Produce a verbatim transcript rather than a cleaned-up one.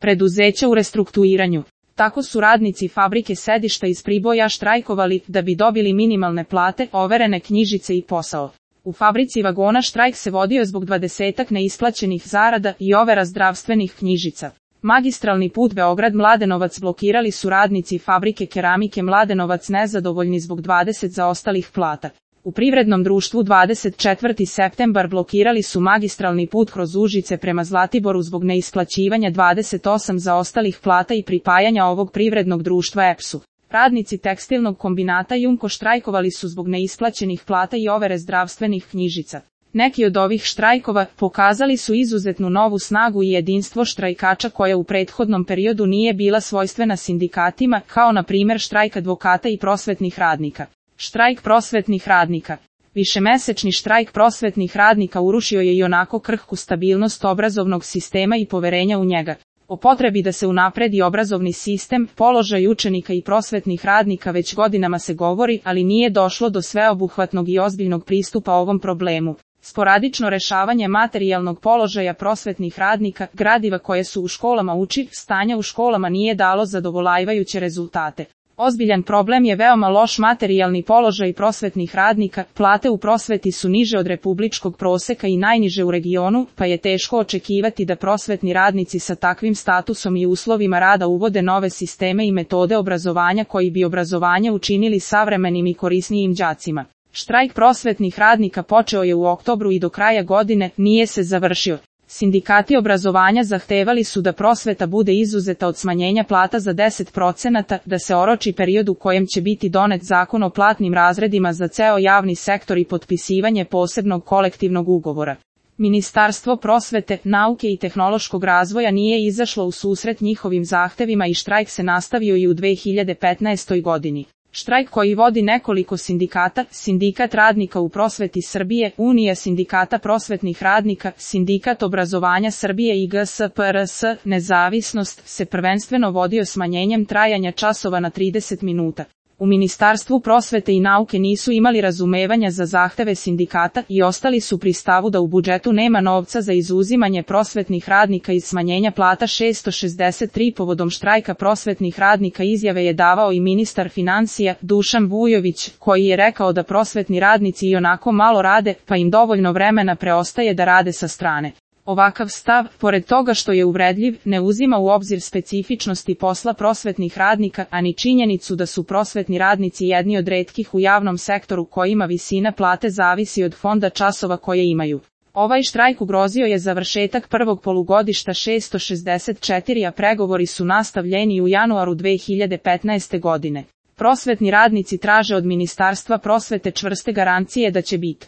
preduzeća u restrukturiranju. Tako su radnici fabrike sedišta iz Priboja štrajkovali da bi dobili minimalne plate, overene knjižice i posao. U fabrici vagona štrajk se vodio zbog dvadesetak neisplaćenih zarada i overa zdravstvenih knjižica. Magistralni put Beograd-Mladenovac blokirali su radnici fabrike keramike Mladenovac nezadovoljni zbog dvadeset zaostalih plata. U privrednom društvu dvadeset četvrti septembar blokirali su magistralni put kroz Užice prema Zlatiboru zbog neisplaćivanja dvadeset osam zaostalih plata i pripajanja ovog privrednog društva E P S-u. Radnici tekstilnog kombinata Jumko štrajkovali su zbog neisplaćenih plata i overe zdravstvenih knjižica. Neki od ovih štrajkova pokazali su izuzetnu novu snagu i jedinstvo štrajkača koja u prethodnom periodu nije bila svojstvena sindikatima, kao na primjer štrajk advokata i prosvetnih radnika. Štrajk prosvetnih radnika. Višemesečni štrajk prosvetnih radnika urušio je i onako krhku stabilnost obrazovnog sistema i poverenja u njega. O potrebi da se unapredi obrazovni sistem, položaj učenika i prosvetnih radnika već godinama se govori, ali nije došlo do sveobuhvatnog i ozbiljnog pristupa ovom problemu. Sporadično rešavanje materijalnog položaja prosvetnih radnika, gradiva koje su u školama uči, stanja u školama nije dalo zadovoljavajuće rezultate. Ozbiljan problem je veoma loš materijalni položaj prosvetnih radnika, plate u prosveti su niže od republičkog proseka i najniže u regionu, pa je teško očekivati da prosvetni radnici sa takvim statusom i uslovima rada uvode nove sisteme i metode obrazovanja koji bi obrazovanje učinili savremenim i korisnijim đacima. Štrajk prosvetnih radnika počeo je u oktobru i do kraja godine nije se završio. Sindikati obrazovanja zahtevali su da prosveta bude izuzeta od smanjenja plata za deset procenata, da se oroči period u kojem će biti donet zakon o platnim razredima za ceo javni sektor i potpisivanje posebnog kolektivnog ugovora. Ministarstvo prosvete, nauke i tehnološkog razvoja nije izašlo u susret njihovim zahtevima i štrajk se nastavio i u dve hiljade petnaestoj godini. Štrajk koji vodi nekoliko sindikata, Sindikat radnika u prosveti Srbije, Unija sindikata prosvetnih radnika, Sindikat obrazovanja Srbije i G S P R S, Nezavisnost, se prvenstveno vodio smanjenjem trajanja časova na trideset minuta. U Ministarstvu prosvete i nauke nisu imali razumevanja za zahteve sindikata i ostali su pri stavu da u budžetu nema novca za izuzimanje prosvetnih radnika iz smanjenja plata šessto šezdeset tri. Povodom štrajka prosvetnih radnika izjave je davao i ministar financija, Dušan Vujović, koji je rekao da prosvetni radnici ionako malo rade, pa im dovoljno vremena preostaje da rade sa strane. Ovakav stav, pored toga što je uvredljiv, ne uzima u obzir specifičnosti posla prosvetnih radnika, a ni činjenicu da su prosvetni radnici jedni od retkih u javnom sektoru kojima visina plate zavisi od fonda časova koje imaju. Ovaj štrajk ugrozio je završetak prvog polugodišta šessto šezdeset četiri, a pregovori su nastavljeni u januaru dve hiljade petnaeste. godine. Prosvetni radnici traže od Ministarstva prosvete čvrste garancije da će biti